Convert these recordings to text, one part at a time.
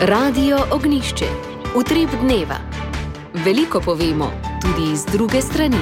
Radio Ognišče, utrip dneva. Veliko povemo, tudi iz druge strani.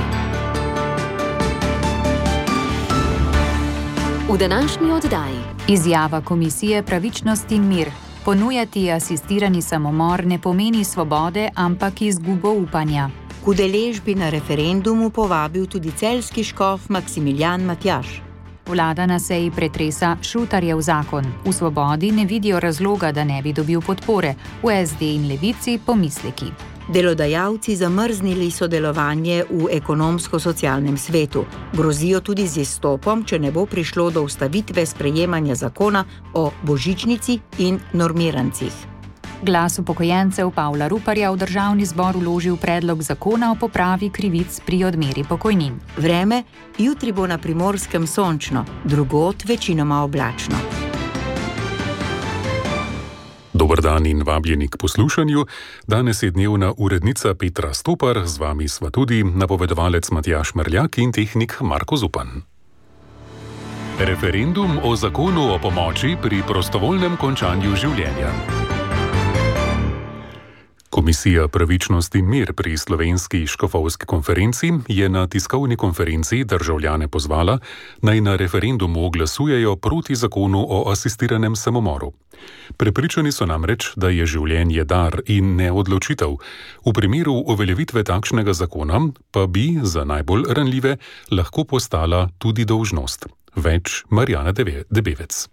V današnji oddaji izjava Komisije Pravičnost in mir. Ponujati asistirani samomor ne pomeni svobode, ampak izgubo upanja. K udeležbi na referendumu povabil tudi celjski škof Maksimilijan Matjaž. Vlada na seji pretresa Šutarjev zakon. V Svobodi ne vidijo razloga, da ne bi dobil podpore. V SD in Levici pomisleki. Delodajalci zamrznili sodelovanje v ekonomsko-socialnem svetu. Grozijo tudi z izstopom, če ne bo prišlo do ustavitve sprejemanja zakona o božičnici in normirancih. Glas upokojencev Pavla Ruparja v Državni zbor vložil predlog zakona o popravi krivic pri odmeri pokojnin. Vreme, jutri bo na Primorskem sončno, drugod večinoma oblačno. Dober dan in vabljeni k poslušanju. Danes je dnevna urednica Petra Stopar, z vami sva tudi napovedovalec Matjaž Merljak in tehnik Marko Zupan. Referendum o zakonu o pomoči pri prostovoljnem končanju življenja. Komisija Pravičnost in mir pri Slovenski škofovski konferenci je na tiskovni konferenci državljane pozvala, naj na referendumu glasujejo proti zakonu o asistiranem samomoru. Prepričani so namreč, da je življenje dar in ne odločitev. V primeru uveljavitve takšnega zakona pa bi za najbolj ranljive lahko postala tudi dolžnost. Več Marjana Debevec.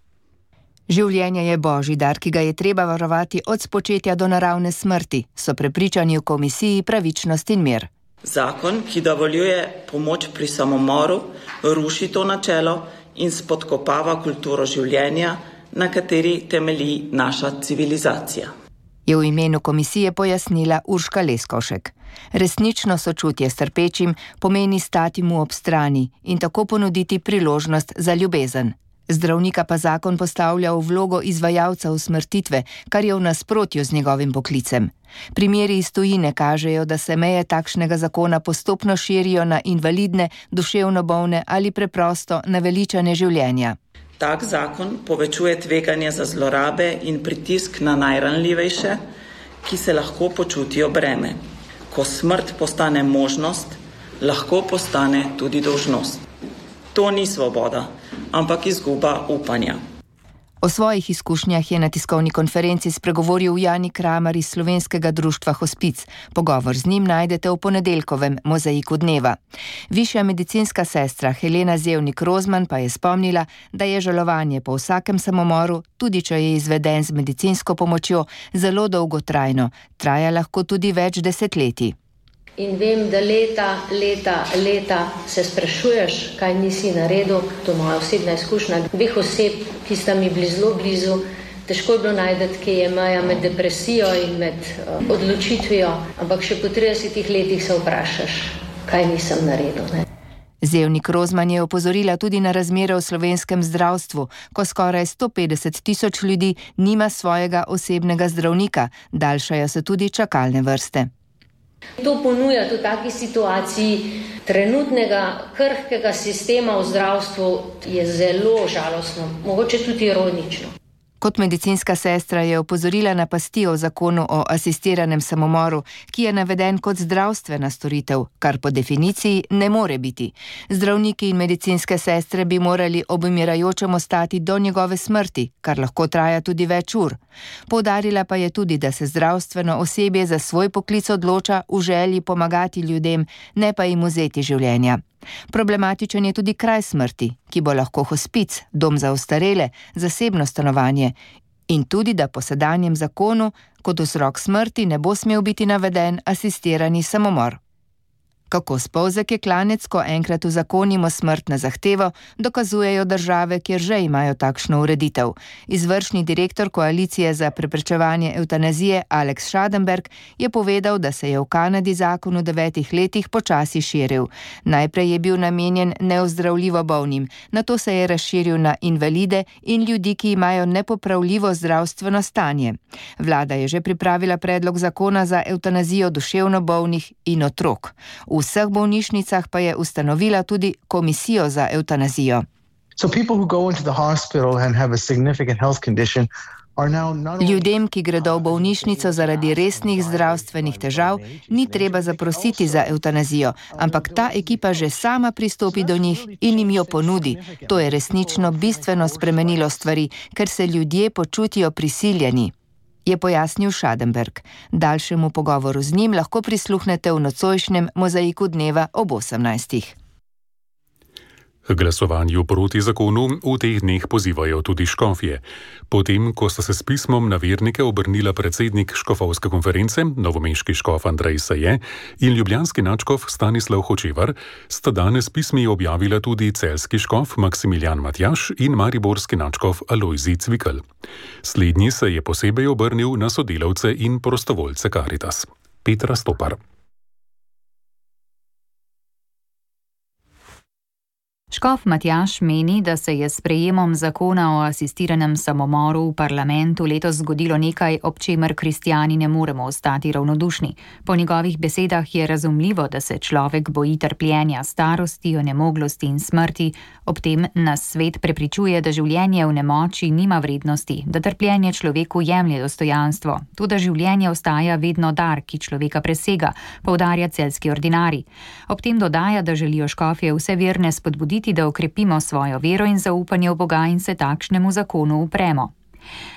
Življenje je božji dar, ki ga je treba varovati od spočetja do naravne smrti, so prepričani v Komisiji Pravičnost in mir. Zakon, ki dovoljuje pomoč pri samomoru, ruši to načelo in spodkopava kulturo življenja, na kateri temelji naša civilizacija. Je v imenu komisije pojasnila Urška Leskovšek. Resnično sočutje s trpečim pomeni stati mu ob strani in tako ponuditi priložnost za ljubezen. Zdravnika pa zakon postavlja v vlogo izvajalca usmrtitve, kar je v nasprotju z njegovim poklicem. Primeri iz tujine kažejo, da se meje takšnega zakona postopno širijo na invalidne, duševno bolne ali preprosto naveličane življenja. Tak zakon povečuje tveganje za zlorabe in pritisk na najranljivejše, ki se lahko počutijo breme. Ko smrt postane možnost, lahko postane tudi dolžnost. To ni svoboda, ampak izguba upanja. O svojih izkušnjah je na tiskovni konferenci spregovoril Jani Kramar iz Slovenskega društva Hospic. Pogovor z njim najdete v ponedeljkovem Mozaiku dneva. Višja medicinska sestra Helena Zevnik-Rozman pa je spomnila, da je žalovanje po vsakem samomoru, tudi če je izveden z medicinsko pomočjo, zelo dolgotrajno. Traja lahko tudi več desetletij. In vem, da leta se sprašuješ, kaj nisi naredil, to je moja osebna izkušnja. Dveh oseb, ki sta mi bili zelo blizu, težko je bilo najdeti, kje je meja med depresijo in med odločitvijo, ampak še po 30 letih se vprašaš, kaj nisem naredil. Ne? Zevnik-Rozman je opozorila tudi na razmere v slovenskem zdravstvu, ko skoraj 150 000 ljudi nima svojega osebnega zdravnika, daljšajo se tudi čakalne vrste. To ponuja v taki situaciji trenutnega krhkega sistema v zdravstvu je zelo žalostno, mogoče tudi ironično. Kot medicinska sestra je opozorila na pasti o zakonu o asistiranem samomoru, ki je naveden kot zdravstvena storitev, kar po definiciji ne more biti. Zdravniki in medicinske sestre bi morali ob umirajočem ostati do njegove smrti, kar lahko traja tudi več ur. Poudarila pa je tudi, da se zdravstveno osebje za svoj poklic odloča v želji pomagati ljudem, ne pa jim vzeti življenja. Problematičen je tudi kraj smrti, ki bo lahko hospic, dom za ostarele, zasebno stanovanje in tudi, da po sedanjem zakonu kot vzrok smrti ne bo smel biti naveden asistirani samomor. Kako spolzek je klanec, ko enkrat uzakonimo smrt na zahtevo, dokazujejo države, kjer že imajo takšno ureditev. Izvršni direktor Koalicije za preprečevanje evtanazije Alex Schadenberg je povedal, da se je v Kanadi zakon v 9 letih počasi širil. Najprej je bil namenjen neozdravljivo bolnim, nato se je razširil na invalide in ljudi, ki imajo nepopravljivo zdravstveno stanje. Vlada je že pripravila predlog zakona za evtanazijo duševno bolnih in otrok. V vseh bolnišnicah pa je ustanovila tudi komisijo za evtanazijo. So people who go into the hospital and have a significant health condition Ljudem, ki gredo v bolnišnico zaradi resnih zdravstvenih težav, ni treba zaprositi za evtanazijo, ampak ta ekipa že sama pristopi do njih in jim jo ponudi. To je resnično bistveno spremenilo stvari, ker se ljudje počutijo prisiljeni, je pojasnil Schadenberg. Daljšemu pogovoru z njim lahko prisluhnete v nocojšnjem Mozaiku dneva ob 18. K glasovanju proti zakonu v teh dneh pozivajo tudi škofje. Potem, ko sta se s pismom na vernike obrnila predsednik škofovske konference, novomeški škof Andrej Saje in ljubljanski nadškof Stanislav Hočevar, sta danes pismi objavila tudi celjski škof Maksimilijan Matjaž in mariborski nadškof Alojzij Cvikl. Slednji se je posebej obrnil na sodelavce in prostovoljce Karitas. Petra Stopar. Škof Matjaž meni, da se je s sprejemom zakona o asistiranem samomoru v parlamentu letos zgodilo nekaj, ob čemer kristjani ne moremo ostati ravnodušni. Po njegovih besedah je razumljivo, da se človek boji trpljenja, starosti, onemoglosti in smrti, ob tem nas svet prepričuje, da življenje v nemoči nima vrednosti, da trpljenje človeku jemlje dostojanstvo, tudi življenje ostaja vedno dar, ki človeka presega, poudarja celjski ordinarij. Ob tem dodaja, da želijo škofje vse verne spodbuditi, da okrepimo svojo vero in zaupanje v Boga in se takšnemu zakonu upremo.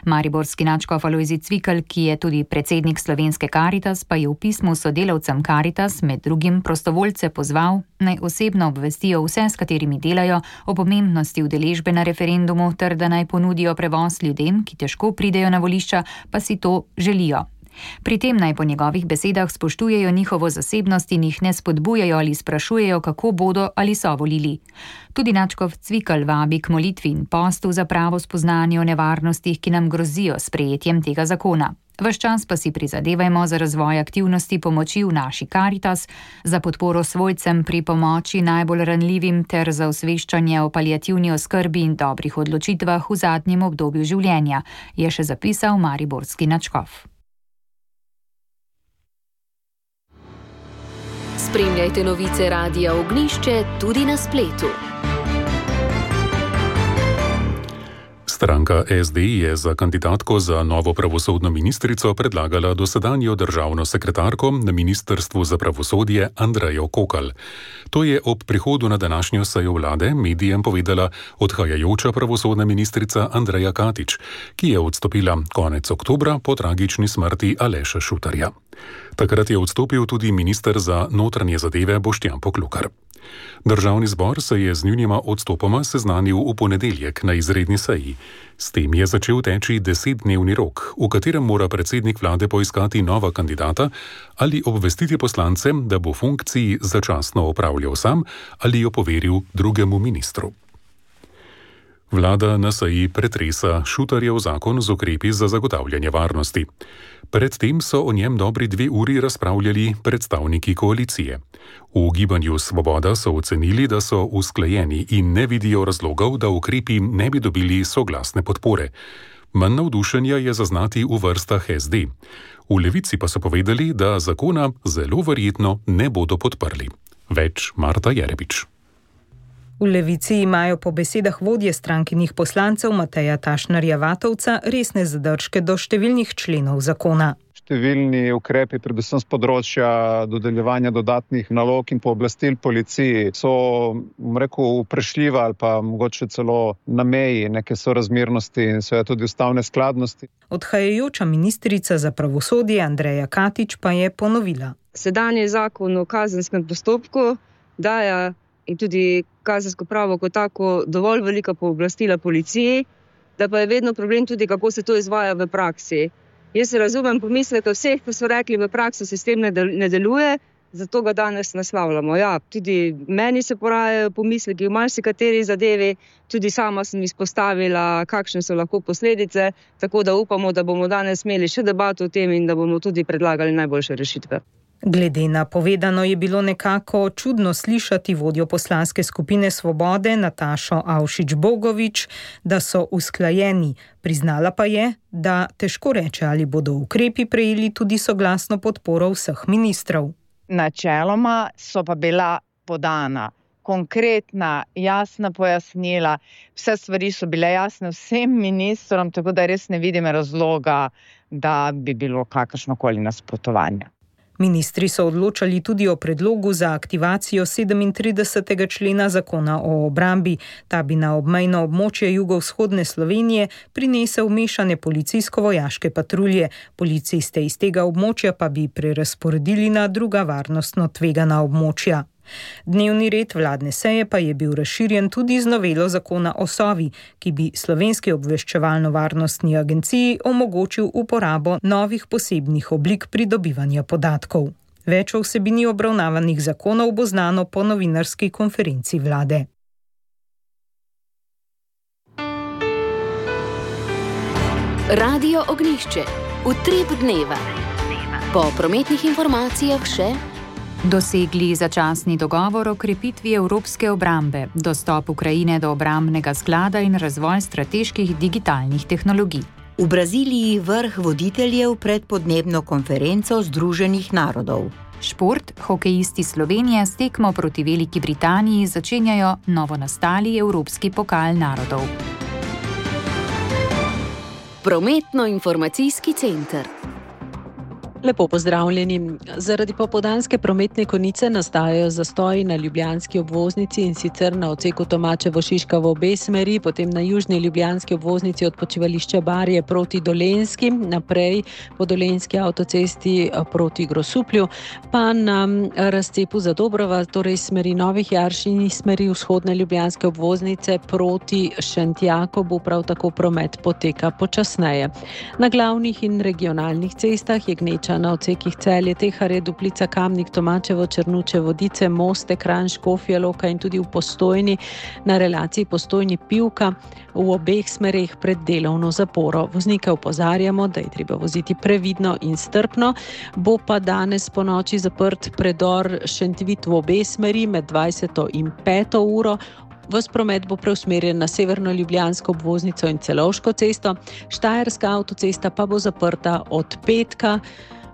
Mariborski nadškof Alojzij Cvikl, ki je tudi predsednik slovenske Karitas, pa je v pismu sodelavcem Karitas med drugim prostovoljce pozval, naj osebno obvestijo vse, s katerimi delajo, o pomembnosti udeležbe na referendumu ter da naj ponudijo prevoz ljudem, ki težko pridejo na volišča, pa si to želijo. Pri tem naj po njegovih besedah spoštujejo njihovo zasebnost in jih ne spodbujajo ali sprašujejo, kako bodo ali so volili. Tudi nadškof Cvikl vabi k molitvi in postu za pravo spoznanje o nevarnostih, ki nam grozijo s sprejetjem tega zakona. Ves čas pa si prizadevajmo za razvoj aktivnosti pomoči v naši Karitas, za podporo svojcem pri pomoči najbolj ranljivim ter za osveščanje o paliativni oskrbi in dobrih odločitvah v zadnjem obdobju življenja, je še zapisal mariborski nadškof. Spremljajte novice Radia Ognjišče tudi na spletu. Stranka SD je za kandidatko za novo pravosodno ministrico predlagala dosedanjo državno sekretarko na Ministrstvu za pravosodje Andrejo Kokalj. To je ob prihodu na današnjo sejo vlade medijem povedala odhajajoča pravosodna ministrica Andreja Katič, ki je odstopila konec oktobra po tragični smrti Aleša Šutarja. Takrat je odstopil tudi minister za notranje zadeve Boštjan Poklukar. Državni zbor se je z njunima odstopoma seznanil v ponedeljek na izredni seji. S tem je začel teči 10-dnevni rok, v katerem mora predsednik vlade poiskati nova kandidata ali obvestiti poslance, da bo funkciji začasno opravljal sam ali jo poveril drugemu ministru. Vlada na seji pretresa Šutarjev zakon z ukrepi za zagotavljanje varnosti. Predtem so o njem dobri 2 uri razpravljali predstavniki koalicije. V Gibanju Svoboda so ocenili, da so usklajeni in ne vidijo razlogov, da ukrepi ne bi dobili soglasne podpore. Manj navdušenja je zaznati v vrstah SD. V Levici pa so povedali, da zakona zelo verjetno ne bodo podprli. Več Marta Jerebič. V Levici imajo po besedah vodje strankinih poslancev Mateja Tašnarja-Vatovca resne zadržke do številnih členov zakona. Številni ukrepi, predvsem z področja dodeljevanja dodatnih nalog in pooblastil policiji, so, vprašljiva ali pa mogoče celo na meji neke sorazmernosti in seveda tudi ustavne skladnosti. Odhajajoča ministrica za pravosodje Andreja Katič pa je ponovila. Sedanji zakon o kazenskem postopku daje in tudi kazensko pravo kot tako dovolj velika pooblastila policiji, da pa je vedno problem tudi, kako se to izvaja v praksi. Jaz razumem pomisleke vseh, ki so rekli, v praksi sistem ne deluje, zato ga danes naslavljamo. Ja, tudi meni se porajajo pomisleki v marsikateri zadevi, tudi sama sem izpostavila, kakšne so lahko posledice, tako da upamo, da bomo danes imeli še debato o tem in da bomo tudi predlagali najboljše rešitve. Glede na povedano je bilo nekako čudno slišati vodjo poslanske skupine Svobode Natašo Avšič-Bogovič, da so usklajeni. Priznala pa je, da težko reče, ali bodo ukrepi prejeli tudi soglasno podporo vseh ministrov. Načeloma so pa bila podana konkretna, jasna pojasnila. Vse stvari so bile jasne vsem ministrom, tako da res ne vidim razloga, da bi bilo kakršnokoli nasprotovanje. Ministri so odločali tudi o predlogu za aktivacijo 37. člena zakona o obrambi. Ta bi na obmejno območje jugovzhodne Slovenije prinesel mešane policijsko-vojaške patrulje. Policiste iz tega območja pa bi prerazporedili na druga varnostno tvegana območja. Dnevni red vladne seje pa je bil razširjen tudi z novelo zakona o Sovi, ki bi Slovenski obveščevalno-varnostni agenciji omogočil uporabo novih posebnih oblik pridobivanja podatkov. Več o vsebini obravnavanih zakonov bo znano po novinarski konferenci vlade. Radio Ognjišče. Utrip dneva. Po prometnih informacijah še dosegli začasni dogovor o krepitvi evropske obrambe, dostop Ukrajine do obrambnega sklada in razvoj strateških digitalnih tehnologij. V Braziliji vrh voditeljev pred podnebno konferenco Združenih narodov. Šport, hokejisti Slovenije s tekmo proti Veliki Britaniji začenjajo novonastali Evropski pokal narodov. Prometno-informacijski center. Lepo pozdravljeni. Zaradi popoldanske prometne konice nastajajo zastoji na ljubljanski obvoznici in sicer na odseku Tomačevo-Šiška v obe smeri, potem na južni ljubljanski obvoznici od počivališča Barje proti Dolenjski, naprej po Dolenjski avtocesti proti Grosuplju, pa na razcepu Zadobrova, torej smeri Novih Jarš in smeri vzhodne ljubljanske obvoznice proti Šentjakobu, prav tako promet poteka počasneje. Na glavnih in regionalnih cestah je gneča na odsekih Celje, Teharje, Duplica, Kamnik, Tomačevo, Črnuče, Vodice, Moste, Kranj, Škofja Loka in tudi v Postojni na relaciji Postojni-Pivka v obeh smereh pred delovno zaporo. Voznike opozarjamo, da je treba voziti previdno in strpno. Bo pa danes po noči zaprt predor Šentvid v obe smeri med 20. in 5. uro. Ves promet bo preusmerjen na severno ljubljansko obvoznico in Celovško cesto, Štajerska avtocesta pa bo zaprta od petka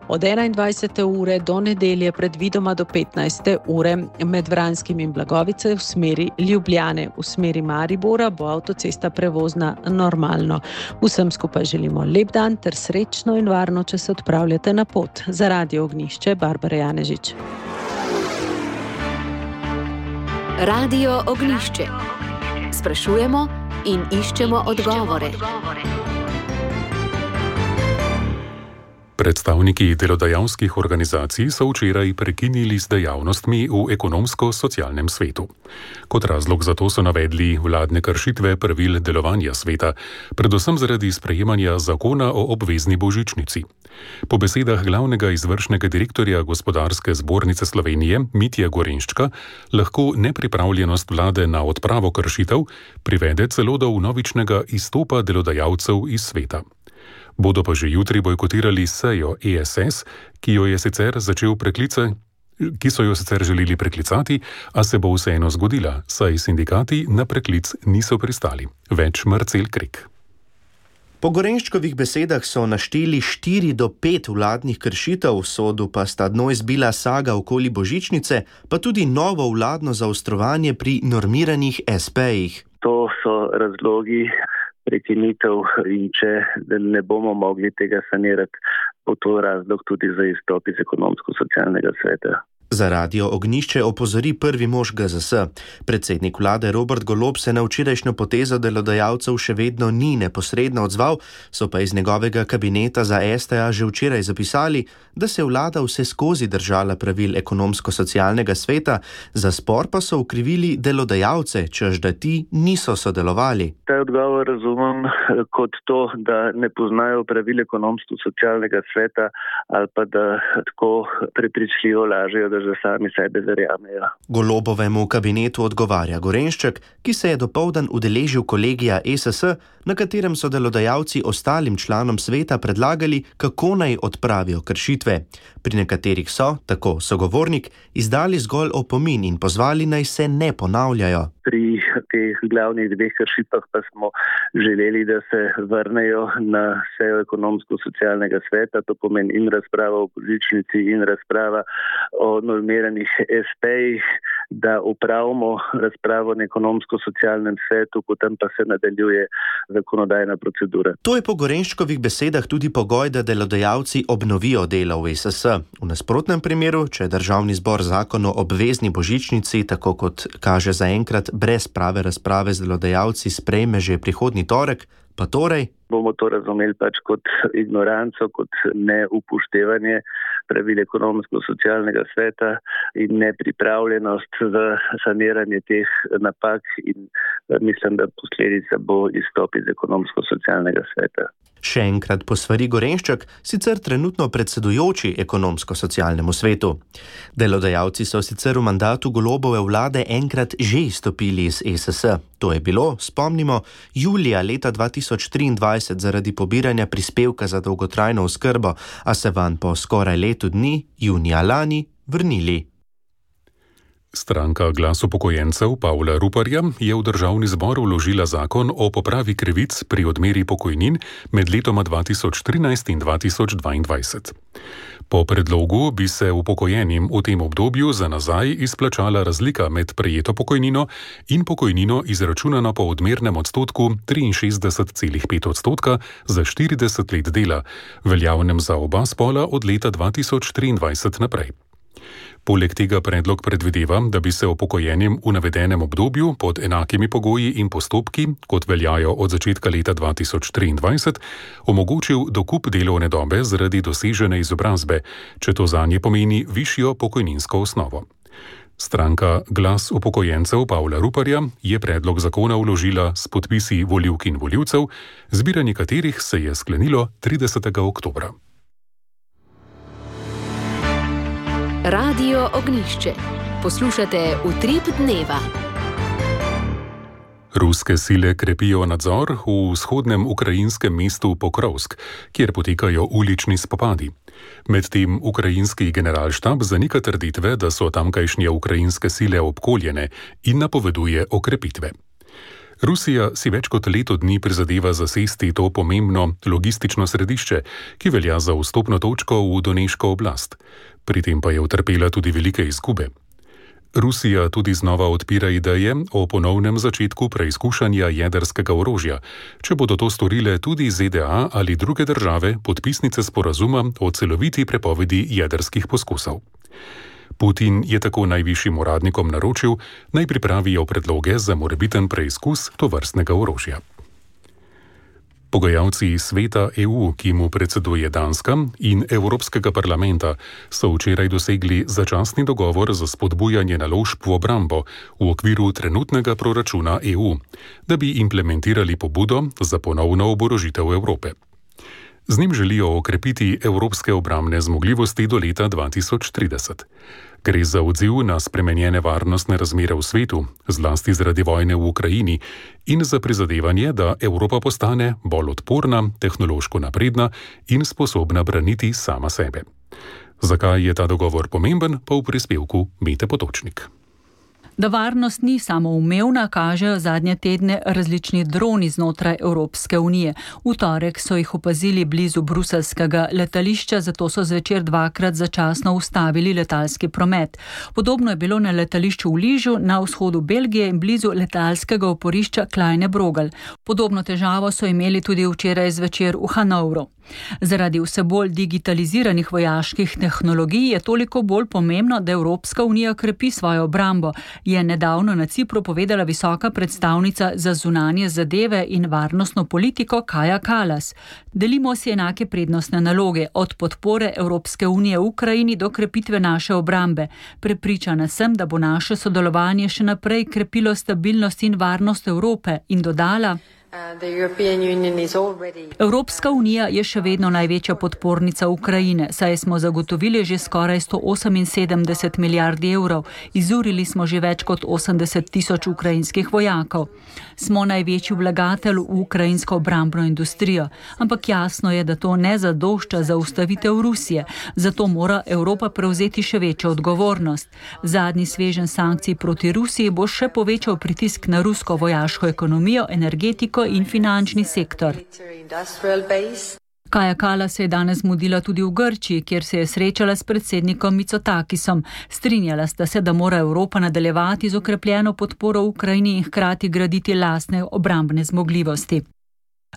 od 21. ure do nedelje predvidoma do 15. ure med Vranskim in Blagovice v smeri Ljubljane. V smeri Maribora bo avtocesta prevozna normalno. Vsem skupaj želimo lep dan ter srečno in varno, če se odpravljate na pot. Za Radio Ognjišče, Barbara Janežič. Radio Ognjišče. Sprašujemo in iščemo odgovore. Predstavniki delodajalskih organizacij so včeraj prekinili z dejavnostmi v ekonomsko-socialnem svetu. Kot razlog za to so navedli vladne kršitve pravil delovanja sveta, predvsem zaradi sprejemanja zakona o obvezni božičnici. Po besedah glavnega izvršnega direktorja Gospodarske zbornice Slovenije Mitje Gorenščka lahko nepripravljenost vlade na odpravo kršitev privede celo do vnovičnega izstopa delodajalcev iz sveta. Bodo pa že jutri bojkotirali sejo ESS, ki so jo sicer želeli preklicati, a se bo vseeno zgodila, saj sindikati na preklic niso pristali. Več Marcel Krek. Po Gorenščkovih besedah so našteli 4 do 5 vladnih kršitev, v sodu pa sta dno izbila saga okoli božičnice, pa tudi novo vladno zaostrovanje pri normiranih SP-jih. To so razlogi prekinitev in če ne bomo mogli tega sanirati, bo to razlog tudi za izstop iz ekonomsko-socialnega sveta. Za Radio Ognjišče opozori prvi mož GZS. Predsednik vlade Robert Golob se na včerajšnjo potezo delodajalcev še vedno ni neposredno odzval, so pa iz njegovega kabineta za STA že včeraj zapisali, da se vlada vse skozi držala pravil ekonomsko-socialnega sveta, za spor pa so ukrivili delodajalce, češ da ti niso sodelovali. Ta odgovor razumem kot to, da ne poznajo pravil ekonomsko-socialnega sveta ali pa da tako prepričljivo lažejo, da že sami sebe verjamejo. Golobovemu kabinetu odgovarja Gorenšček, ki se je dopoldan udeležil kolegija ESS, na katerem so delodajalci ostalim članom sveta predlagali, kako naj odpravijo kršitve. Pri nekaterih so, tako sogovornik, izdali zgolj opomin in pozvali naj se ne ponavljajo. Pri teh glavnih 2 kršitvah pa smo želeli, da se vrnejo na sejo ekonomsko-socialnega sveta, to pomeni in razprava o božičnici in razprava o normiranih SP-jih, da upravimo razpravo na ekonomsko-socialnem svetu, potem pa se nadaljuje zakonodajna procedura. To je po Gorenškovih besedah tudi pogoj, da delodajalci obnovijo delo v ESS. V nasprotnem primeru, če Državni zbor zakon o obvezni božičnici, tako kot kaže zaenkrat brez prave razprave z delodajalci, sprejme že prihodnji torek, pa torej bomo to razumeli pač kot ignoranco, kot neupoštevanje pravil ekonomsko-socialnega sveta in nepripravljenost za saniranje teh napak in mislim, da posledica bo izstop iz ekonomsko-socialnega sveta. Še enkrat posvari Gorenšček, sicer trenutno predsedujoči ekonomsko-socialnemu svetu. Delodajalci so sicer v mandatu Golobove vlade enkrat že izstopili iz ESS. To je bilo, spomnimo, julija leta 2023 zaradi pobiranja prispevka za dolgotrajno oskrbo, a se vanj po skoraj letu dni, junija lani, vrnili. Stranka Glas upokojencev Pavla Ruparja je v Državni zbor vložila zakon o popravi krivic pri odmeri pokojnin med letoma 2013 in 2022. Po predlogu bi se upokojenim v tem obdobju za nazaj izplačala razlika med prejeto pokojnino in pokojnino izračunano po odmernem odstotku 63,5% za 40 let dela, veljavnem za oba spola od leta 2023 naprej. Poleg tega predlog predvideva, da bi se upokojenim v navedenem obdobju pod enakimi pogoji in postopki, kot veljajo od začetka leta 2023, omogočil dokup delovne dobe zaradi dosežene izobrazbe, če to zanje pomeni višjo pokojninsko osnovo. Stranka Glas upokojencev Pavla Ruparja je predlog zakona vložila s podpisi volivk in volivcev, zbiranje katerih se je sklenilo 30. oktobra. Radio Ognjišče. Poslušate Utrip dneva. Ruske sile krepijo nadzor v vzhodnem ukrajinskem mestu Pokrovsk, kjer potekajo ulični spopadi. Medtem ukrajinski generalštab zanika trditve, da so tamkajšnje ukrajinske sile obkoljene in napoveduje okrepitve. Rusija si več kot leto dni prizadeva zasesti to pomembno logistično središče, ki velja za vstopno točko v Doneško oblast. Pri tem pa je utrpela tudi velike izgube. Rusija tudi znova odpira ideje o ponovnem začetku preizkušanja jedrskega orožja, če bodo to storile tudi ZDA ali druge države podpisnice sporazuma o celoviti prepovedi jedrskih poskusov. Putin je tako najvišjim uradnikom naročil, naj pripravijo predloge za morebiten preizkus tovrstnega orožja. Pogajalci sveta EU, ki mu predseduje Danska, in Evropskega parlamenta so včeraj dosegli začasni dogovor za spodbujanje naložb v obrambo v okviru trenutnega proračuna EU, da bi implementirali pobudo za ponovno oborožitev Evrope. Z njim želijo okrepiti evropske obrambne zmogljivosti do leta 2030. Gre za odziv na spremenjene varnostne razmere v svetu, zlasti zaradi vojne v Ukrajini, in za prizadevanje, da Evropa postane bolj odporna, tehnološko napredna in sposobna braniti sama sebe. Zakaj je ta dogovor pomemben, pa v prispevku Mete Potočnik. Da varnost ni samoumevna, kažejo zadnje tedne različni droni znotraj Evropske unije. V torek so jih opazili blizu bruselskega letališča, zato so zvečer dvakrat začasno ustavili letalski promet. Podobno je bilo na letališču v Ližu, na vzhodu Belgije in blizu letalskega oporišča Kleine Brogel. Podobno težavo so imeli tudi včeraj zvečer v Hanovru. Zaradi vse bolj digitaliziranih vojaških tehnologij je toliko bolj pomembno, da Evropska unija krepi svojo obrambo, je nedavno na Cipru povedala visoka predstavnica za zunanje zadeve in varnostno politiko Kaja Kallas. Delimo si enake prednostne naloge, od podpore Evropske unije v Ukrajini do krepitve naše obrambe. Prepričana sem, da bo naše sodelovanje še naprej krepilo stabilnost in varnost Evrope, in dodala: Evropska unija je še vedno največja podpornica Ukrajine, saj smo zagotovili že skoraj 178 milijard evrov, izurili smo že več kot 80 tisoč ukrajinskih vojakov. Smo največji vlagatelj v ukrajinsko obrambno industrijo, ampak jasno je, da to ne zadošča za ustavitev Rusije, zato mora Evropa prevzeti še večjo odgovornost. Zadnji sveženj sankcij proti Rusiji bo še povečal pritisk na rusko vojaško ekonomijo, energetiko in finančni sektor. Kaja Kallas se je danes mudila tudi v Grčiji, kjer se je srečala s predsednikom Mitsotakisom. Strinjala sta se, da mora Evropa nadaljevati z okrepljeno podporo Ukrajini in hkrati graditi lastne obrambne zmogljivosti.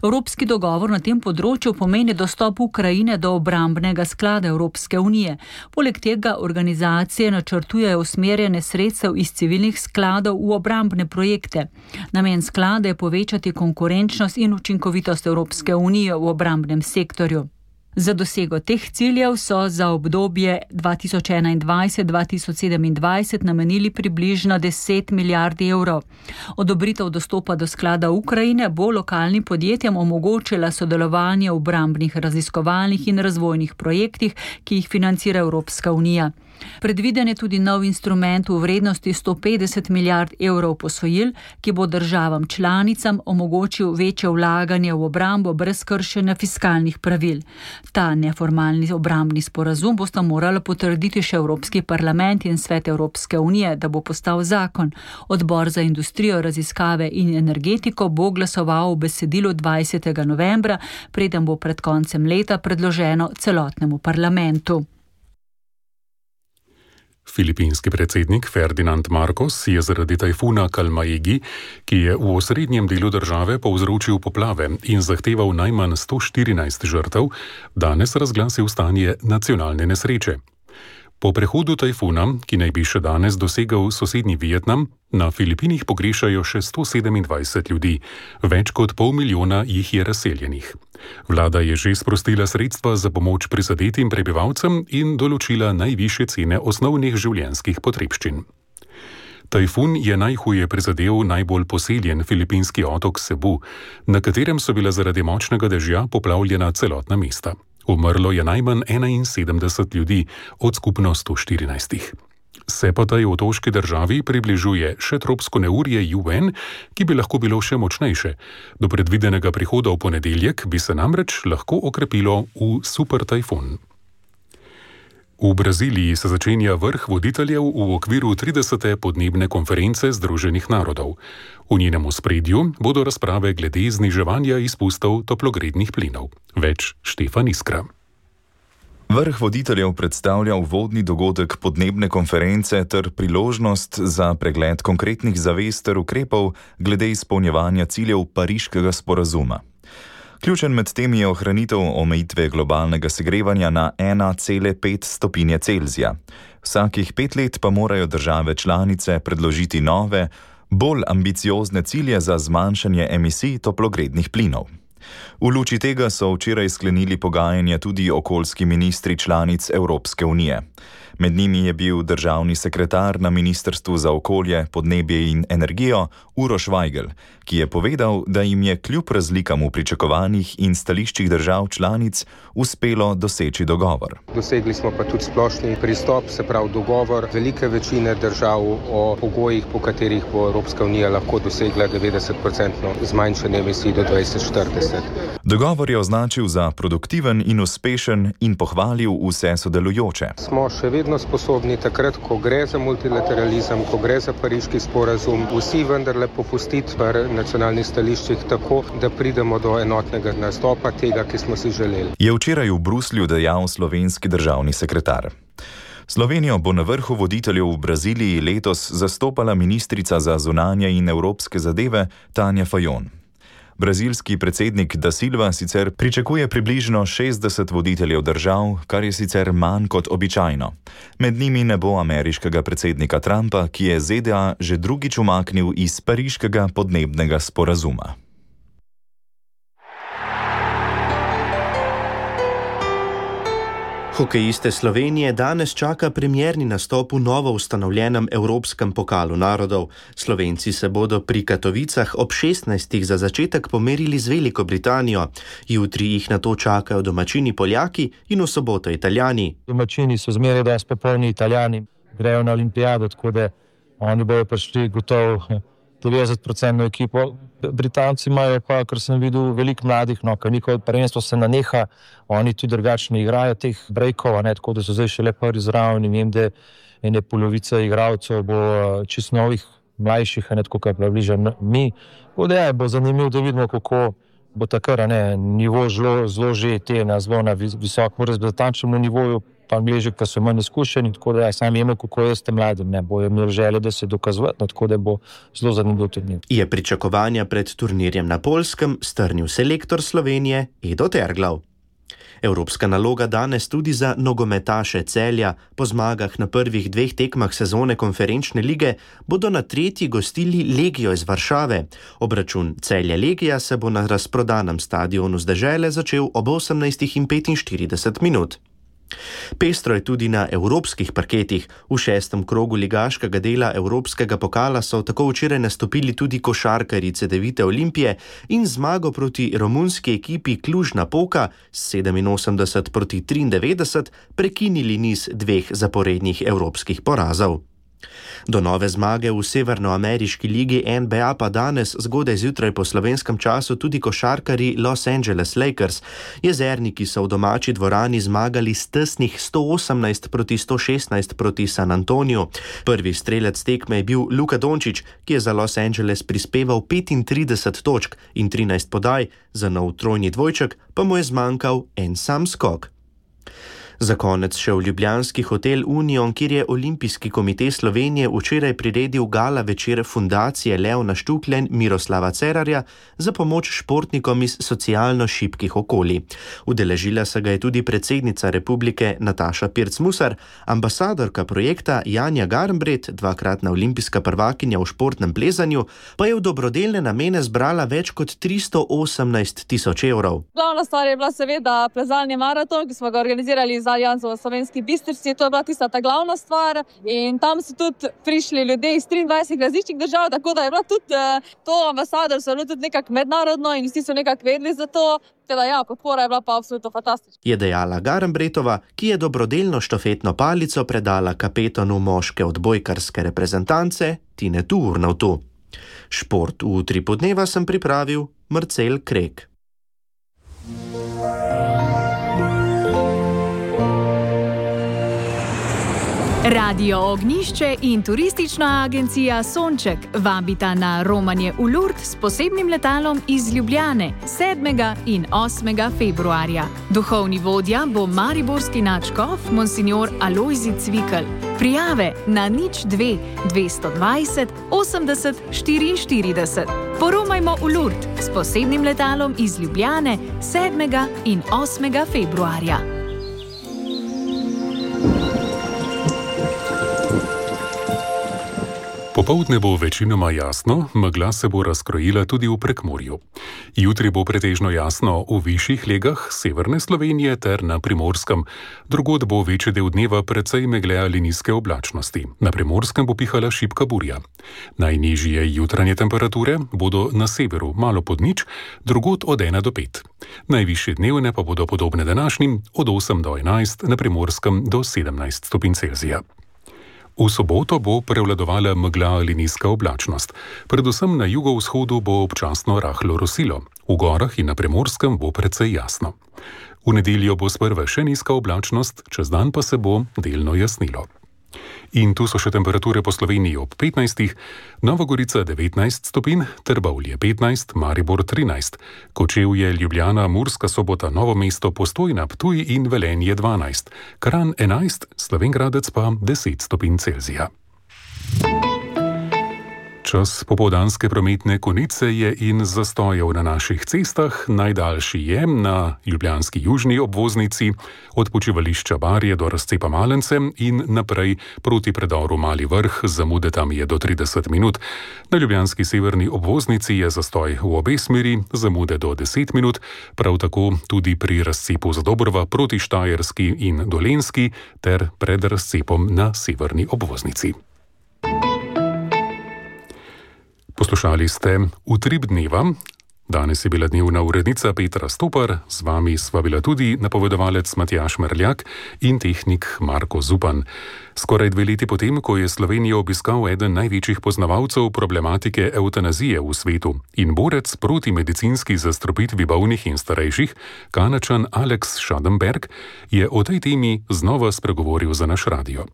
Evropski dogovor na tem področju pomeni dostop Ukrajine do obrambnega sklada Evropske unije. Poleg tega organizacije načrtujejo usmerjene sredstev iz civilnih skladov v obrambne projekte. Namen sklada je povečati konkurenčnost in učinkovitost Evropske unije v obrambnem sektorju. Za dosego teh ciljev so za obdobje 2021-2027 namenili približno 10 milijard evrov. Odobritev dostopa do sklada Ukrajine bo lokalnim podjetjem omogočila sodelovanje v obrambnih raziskovalnih in razvojnih projektih, ki jih financira Evropska unija. Predviden je tudi nov instrument v vrednosti 150 milijard evrov posojil, ki bo državam članicam omogočil večje vlaganje v obrambo brez kršenja fiskalnih pravil. Ta neformalni obrambni sporazum bosta morala potrditi še Evropski parlament in Svet Evropske unije, da bo postal zakon. Odbor za industrijo, raziskave in energetiko bo glasoval v besedilu 20. novembra, preden bo pred koncem leta predloženo celotnemu parlamentu. Filipinski predsednik Ferdinand Marcos je zaradi tajfuna Kalmaegi, ki je v osrednjem delu države povzročil poplave in zahteval najmanj 114 žrtev, danes razglasil stanje nacionalne nesreče. Po prehodu tajfuna, ki naj bi še danes dosegel sosednji Vietnam, na Filipinih pogrešajo še 127 ljudi, več kot 500 000 jih je razseljenih. Vlada je že sprostila sredstva za pomoč prizadetim prebivalcem in določila najvišje cene osnovnih življenjskih potrebščin. Tajfun je najhuje prizadel najbolj poseljen filipinski otok Cebu, na katerem so bila zaradi močnega dežja poplavljena celotna mesta. Umrlo je najmanj 71 ljudi od skupno 114. Se pa tej otoški državi približuje še tropsko neurje Yuen, ki bi lahko bilo še močnejše. Do predvidenega prihoda v ponedeljek bi se namreč lahko okrepilo v super tajfun. V Braziliji se začenja vrh voditeljev v okviru 30. podnebne konference Združenih narodov. V njenem ospredju bodo razprave glede zniževanja izpustov toplogrednih plinov. Več Štefan Iskra. Vrh voditeljev predstavlja uvodni dogodek podnebne konference ter priložnost za pregled konkretnih zavez ter ukrepov glede izpolnjevanja ciljev Pariškega sporazuma. Ključen med tem je ohranitev omejitve globalnega segrevanja na 1,5 stopinje Celzija. Vsakih 5 let pa morajo države članice predložiti nove, bolj ambiciozne cilje za zmanjšanje emisij toplogrednih plinov. V luči tega so včeraj sklenili pogajanja tudi okoljski ministri članic Evropske unije. Med njimi je bil državni sekretar na Ministrstvu za okolje, podnebje in energijo Uroš Vajgl, ki je povedal, da jim je kljub razlikam v pričakovanjih in stališčih držav članic uspelo doseči dogovor. Dosegli smo pa tudi splošni pristop, se pravi dogovor velike večine držav o pogojih, po katerih bo Evropska unija lahko dosegla 90% zmanjšanje emisij do 2040. Dogovor je označil za produktiven in uspešen in pohvalil vse sodelujoče. Smo še vedno sposobni takrat, ko gre za multilateralizem, ko gre za Pariški sporazum, vsi vendarle popustiti v nacionalnih stališčih tako, da pridemo do enotnega nastopa tega, ki smo si želeli. Je včeraj v Bruslju dejal slovenski državni sekretar. Slovenijo bo na vrhu voditeljev v Braziliji letos zastopala ministrica za zunanje in evropske zadeve Tanja Fajon. Brazilski predsednik Da Silva sicer pričakuje približno 60 voditeljev držav, kar je sicer manj kot običajno. Med njimi ne bo ameriškega predsednika Trumpa, ki je ZDA že drugič umaknil iz Pariškega podnebnega sporazuma. Hokejiste Slovenije danes čaka premierni nastop v novo ustanovljenem Evropskem pokalu narodov. Slovenci se bodo pri Katovicah ob 16. za začetek pomerili z Veliko Britanijo. Jutri jih nato čakajo domačini Poljaki in v soboto Italijani. Domačini so zmeraj dosti popolni Italijani, grejo na olimpijado, tako da oni bojo prišli gotovo 90% ekipo. Britanci imajo pa, kar sem videl, veliko mladih, ker njihovo prvenstvo se naneha, oni tudi drugačni igrajo teh breakov, tako da so zdaj še le prvi zraven in vem, da ene polovica igralcev bo čisto novih, mlajših, tako kot približno mi. Bo zanimivo, da vidimo, kako bo takrat nivo zelo že na zelo na visokem reprezentativnem nivoju, pa angliži, ki so manj izkušeni, tako da sam vemo, kako je s tem mladim, bojo imeli želje, da se dokazovati, tako da bo zelo zanimiv turnir. Je pričakovanja pred turnirjem na Poljskem strnil selektor Slovenije Edo Terglav. Evropska naloga danes tudi za nogometaše Celja. Po zmagah na prvih 2 tekmah sezone konferenčne lige bodo na 3. gostili Legijo iz Varšave. Obračun Celja-Legija se bo na razprodanem stadionu z Dežele začel ob 18:45 minut. Pestro je tudi na evropskih parketih. V 6. krogu ligaškega dela Evropskega pokala so tako včeraj nastopili tudi košarkarji Cedevite Olimpije in zmago proti romunski ekipi Cluj-Napoca s 87-93 prekinili niz 2 zaporednih evropskih porazov. Do nove zmage v severnoameriški ligi NBA pa danes zgodaj zjutraj po slovenskem času tudi košarkarji Los Angeles Lakers. Jezerniki so v domači dvorani zmagali s tesnih 118-116 proti San Antoniju. Prvi strelec tekme je bil Luka Dončić, ki je za Los Angeles prispeval 35 točk in 13 podaj, za nov trojni dvojček pa mu je zmanjkal en sam skok. Za konec še v ljubljanski hotel Union, kjer je Olimpijski komite Slovenije včeraj priredil gala večer fundacije Leona Štukljen Miroslava Cerarja za pomoč športnikom iz socialno šibkih okolij. Udeležila se ga je tudi predsednica republike Nataša Pirc-Musar, ambasadorka projekta Janja Garnbret, 2-kratna olimpijska prvakinja v športnem plezanju, pa je v dobrodelne namene zbrala več kot 318 tisoč evrov. Glavna stvar je bila seveda plezalni maraton, ki smo ga organizirali za Janzo v Slovenski Bistrici. To je bila tista ta glavna stvar in tam so tudi prišli ljudje iz 23 različnih držav, tako da je bila tudi to ambasadorstvo tudi nekako mednarodno in vsi so nekako vedeli za to. Teda ja, podpora je bila pa absolutno fantastična. Je dejala Garnbretova, ki je dobrodelno štafetno palico predala kapetanu moške odbojkarske reprezentance Tinetu Urnautu. Šport v Utripu dneva sem pripravil Marcel Krek. Radio Ognjišče in turistična agencija Sonček vabita na romanje v Lourdes s posebnim letalom iz Ljubljane 7. in 8. februarja. Duhovni vodja bo mariborski nadškof monsignor Alojzij Cvikl. Prijave na 02 220 80 44. Poromajmo v Lourdes s posebnim letalom iz Ljubljane 7. in 8. februarja. Popoldne bo večinoma jasno, megla se bo razkrojila tudi v Prekmurju. Jutri bo pretežno jasno v višjih legah severne Slovenije ter na Primorskem. Drugod bo večji del dneva precej megle ali nizke oblačnosti. Na Primorskem bo pihala šibka burja. Najnižje jutranje temperature bodo na severu malo pod nič, drugod od 1 do 5. Najvišje dnevne pa bodo podobne današnjim od 8 do 11, na Primorskem do 17 stopinj Celzija. V soboto bo prevladovala megla ali nizka oblačnost. Predvsem na jugovzhodu bo občasno rahlo rosilo. V gorah in na Primorskem bo precej jasno. V nedeljo bo sprva še nizka oblačnost, čez dan pa se bo delno jasnilo. In tu so še temperature po Sloveniji ob 15, Nova Gorica 19 stopinj, Trbovlje 15, Maribor 13, Kočevje, Ljubljana, Murska Sobota, Novo mesto, Postojna, Ptuj in Velenje 12, Kranj 11, Slovenj Gradec pa 10 stopinj Celzija. Čas popoldanske prometne konice je in zastojev na naših cestah. Najdaljši je na ljubljanski južni obvoznici od počivališča Barje do razcepa Malence in naprej proti predoru Mali Vrh, zamude tam je do 30 minut. Na ljubljanski severni obvoznici je zastoj v obe smeri, zamude do 10 minut, prav tako tudi pri razcepu Zadobrva proti Štajerski in Dolenjski ter pred razcepom na severni obvoznici. Poslušali ste Utrip dneva. Danes je bila dnevna urednica Petra Stopar, z vami sva bila tudi napovedovalec Matjaž Merljak in tehnik Marko Zupan. Skoraj 2 leti potem, ko je Slovenijo obiskal eden največjih poznavalcev problematike evtanazije v svetu in borec proti medicinski zastrupitvi bolnih in starejših, Kanačan Alex Schadenberg, je o tej temi znova spregovoril za naš radio.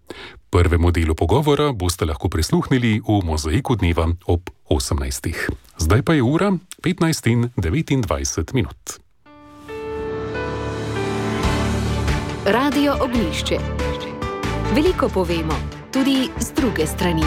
Prvemu delu pogovora boste lahko prisluhnili v Mozaiku dneva ob 18. Zdaj pa je ura 15:29. Radio Ognjišče. Veliko povemo, tudi z druge strani.